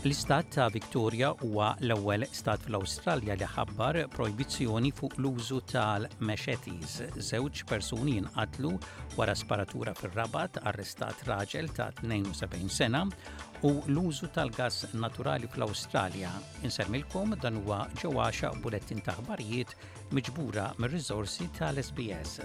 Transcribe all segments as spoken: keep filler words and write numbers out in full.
L-istat ta' Victoria huwa l-ewwel stat fl-Awstralja li ħabbar projbizzjoni fuq l-użu tal-machetes. Żewġ persuni jinqatlu wara sparatura fir-Rabat, arrestat raġel ta' tnejn u sebgħin sena u l-użu tal-gas naturali fl-Awstralja. Insellmilkom, dan huwa ġewwaxa bulettin ta' aħbarijiet miġbura mir-riżorsi tal-S B S.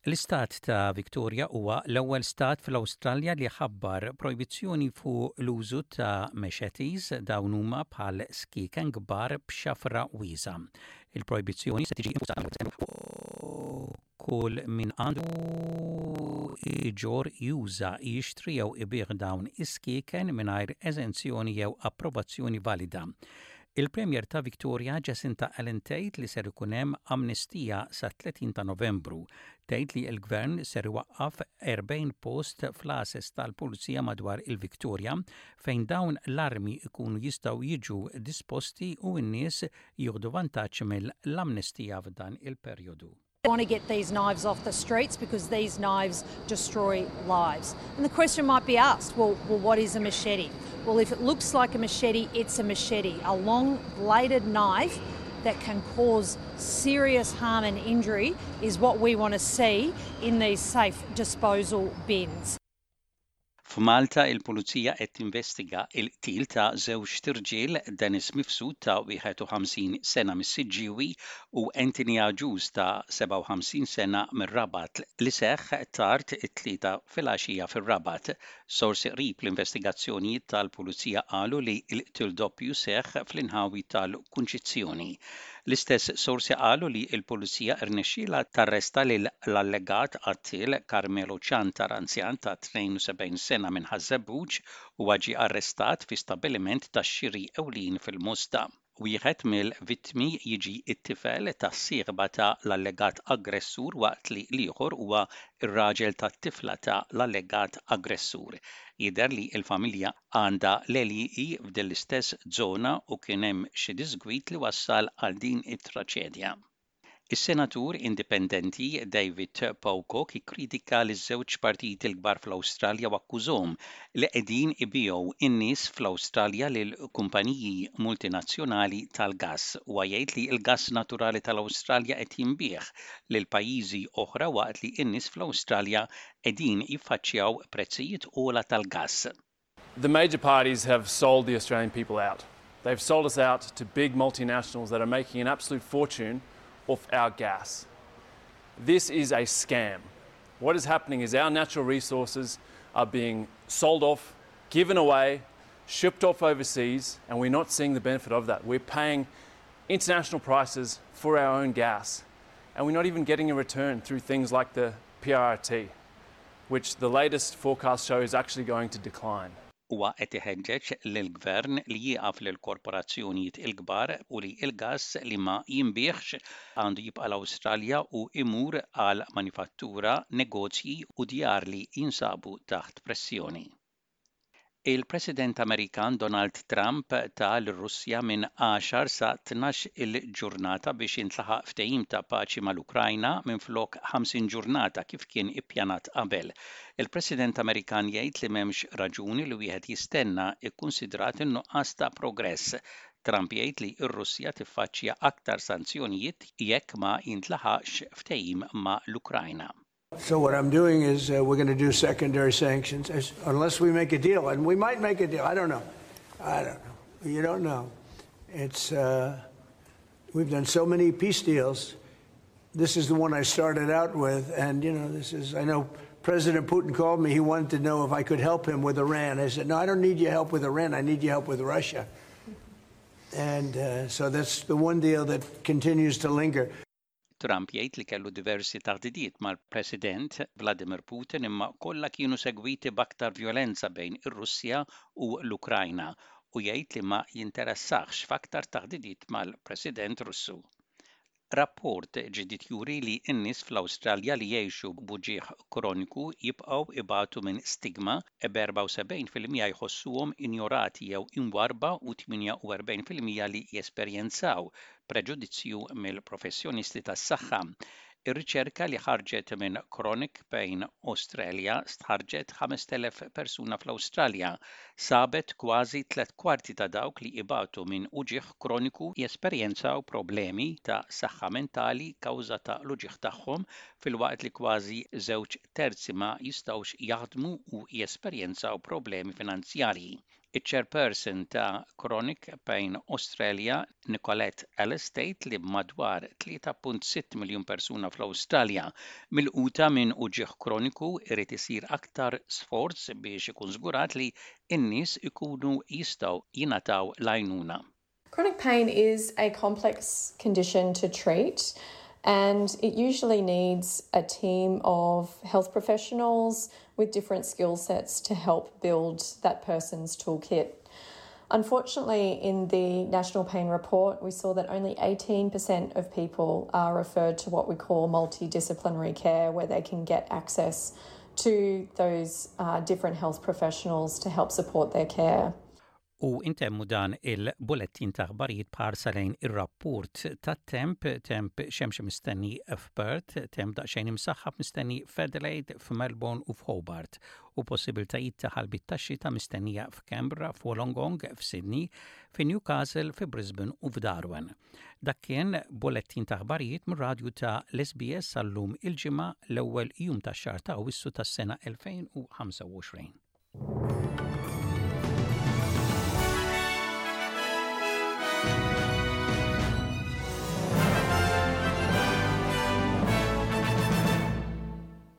L-istat ta' Victoria huwa l-ewwel stat fl-Awstralja li ħabbar projbizzjoni fuq l-użu ta' machetes. Dawn huma bħal skieken kbar b'xafra wiesgħa. Il-projbizzjoni se tiġi kull min għandu iġorr, juża, jixtri jew ibigħ dawn is-skieken mingħajr eżenzjoni jew approvazzjoni valida. Il-Premier ta' Victoria Jacinta Allen tgħid li ser ikun hemm amnestija sa tletin ta' Novembru. Tgħid li l-Gvern ser iwaqqaf erbgħin post fl-għases tal-Pulizija madwar il-Victoria fejn dawn l-armi ikunu jistgħu jiġu disposti u n-nies jieħdu vantaġġ mill-amnestija f'dan il-perjodu. Want to get these knives off the streets because these knives destroy lives. And the question might be asked, well, well, what is a machete? Well, if it looks like a machete, it's a machete, a long bladed knife that can cause serious harm and injury is what we want to see in these safe disposal bins. F'Malta, il-Pulizija qed tinvestiga il-qtil ta' żewġ tirġiel, Dennis Mifsud ta' wieħed u ħamsin sena mis-Siġġiewi u Anthony Agius ta' sebgħa u ħamsin sena mir-Rabat, li seħħ tard it-Tlieta filgħaxija fir-Rabat. Sorsi qrib l-investigazzjonijiet tal-Pulizija qalu li l-qtil doppju seħħ fl-inħawi tal-Kunċizzjoni. L-istess sorsi qalu li l-Pulizija rnexxiela tarresta lil l-allegat qattil Carmelo Ciantar, anzjan ta' tnejn u sebgħin sena minn Ħaż-Żebbuġ, u ġie arrestat fi stabbiliment tax-xiri ewlien fil-Mosta. Wieħed mill-vittmi jiġi t-tifel tas-sieħba ta' l-allegat aggressur, waqt li l-ieħor huwa r-raġel tat-tifla ta' l-allegat aggressur. Jidher li l-familja għandha l-għelieqi f'din l-istess żona u kien hemm xi disgwit li wassal għal din it-traċedja. Is-senatur indipendenti David Pocock ikkritika li żewġ partiti l-kbar fl-Awstralja u akkużahom li qegħdin ibigħu in-nies fl-Awstralja lil kumpaniji multinazzjonali tal-gass, u jgħid li l-gass naturali tal-Awstralja qed jinbiegħ lil pajjiżi oħra waqt li n-nies fl-Awstralja qegħdin jiffaċċjaw prezzijiet ogħla tal-gass. The major parties have sold the Australian people out. They've sold us out to big multinationals that are making an absolute fortune off our gas. This is a scam. What is happening is our natural resources are being sold off, given away, shipped off overseas, and we're not seeing the benefit of that. We're paying international prices for our own gas, and we're not even getting a return through things like the P R R T, which the latest forecast show is actually going to decline. Huwa qed iħeġġeġ lill-gvern li jieqaf lil korporazzjonijiet il-kbar u li l-gass li ma jinbiegħx għandu jibqa' l-Awstralja u imur għal manifattura, negozji u djar li jinsabu taħt pressjoni. Il-President Amerikan Donald Trump ta lir-Russja minn għaxar sa tnax il-ġurnata biex jintlaħaq ftehim ta' paċi mal-Ukrajna minflok ħamsin ġurnata kif kien ippjanat qabel. Il-President Amerikan jgħid li m'hemmx raġuni li wieħed jistenna, ikkunsidrat in-nuqqas ta' progress. Trump jgħid li r-Russja tiffaċċja aktar sanzjonijiet jekk ma jintlaħaqx ftehim ma' l-Ukrajna. So what I'm doing is uh, we're going to do secondary sanctions as, unless we make a deal, and we might make a deal. I don't know. I don't know. You don't know. It's uh, we've done so many peace deals. This is the one I started out with, and you know, this is. I know President Putin called me. He wanted to know if I could help him with Iran. I said, "No, I don't need your help with Iran. I need your help with Russia." And uh, so that's the one deal that continues to linger. Trump jgħid li kellu diversi taħdidiet mal-President Vladimir Putin, imma kollha kienu segwiti b'aktar violenza bejn ir-Russja u l-Ukrajna, u jgħid li ma jinteressax f'aktar taħdidiet mal-President Russu. Rapport ġdid juri li n-nies fl-Awstralja li jgħixu b'uġigħ kroniku jibqgħu ibatu minn stigma, b'erbgħa u sebgħin fil-mija jħossuhom injorati jew imwarba u tmienja u erbgħin fil-mija li jesperjenzaw preġudizzju mill-professjonisti tas-saħħa. Ir-riċerka li ħarġet minn Chronic Pain Australia stħarrġet ħamest elef persuna fl-Awstralja sabet kważi tliet kwarti ta' dawk li ibatu minn uġigħ kroniku jesperjenzaw problemi ta' saħħa mentali kawża ta' l-uġigħ tagħhom, filwaqt li kważi żewġ terzi ma jistgħux jaħdmu u jesperjenzaw problemi finanzjarji. Iċ-chairperson ta' Chronic Pain Australia, Nicolette Ellis, tgħid li madwar tlieta punt sitta miljun persuna fl-Awstralja milquta minn uġigħ kroniku irid isir aktar sforz biex ikun żgurat li n-nies ikunu jistgħu jingħataw l-għajnuna. Chronic pain is a complex condition to treat, and it usually needs a team of health professionals with different skill sets to help build that person's toolkit. Unfortunately, in the National Pain Report, we saw that only eighteen percent of people are referred to what we call multidisciplinary care, where they can get access to those uh, different health professionals to help support their care. U intemmu dan il-bulettin ta' aħbarijiet b'ħarsa lejn ir-rapport tat-temp: temp xemxi mistenni f'Perth, temp daqsxejn imsaħħab mistenni f'Adelaide, f'Melbourne u f'Hobart, u possibiltajiet ta' ħalbiet tax-xita mistennija f'Canberra, f'Wollongong, f'Sydney, f'Newcastle, f'Brisbane u f'Darwin. Dak kien bulettin ta' aħbarijiet mir-radju ta' l-S B S għallum, il-Ġimgħa, l-ewwel jum tax-xahar ta' Awwissu tas-sena elfejn u ħamsa u għoxrin.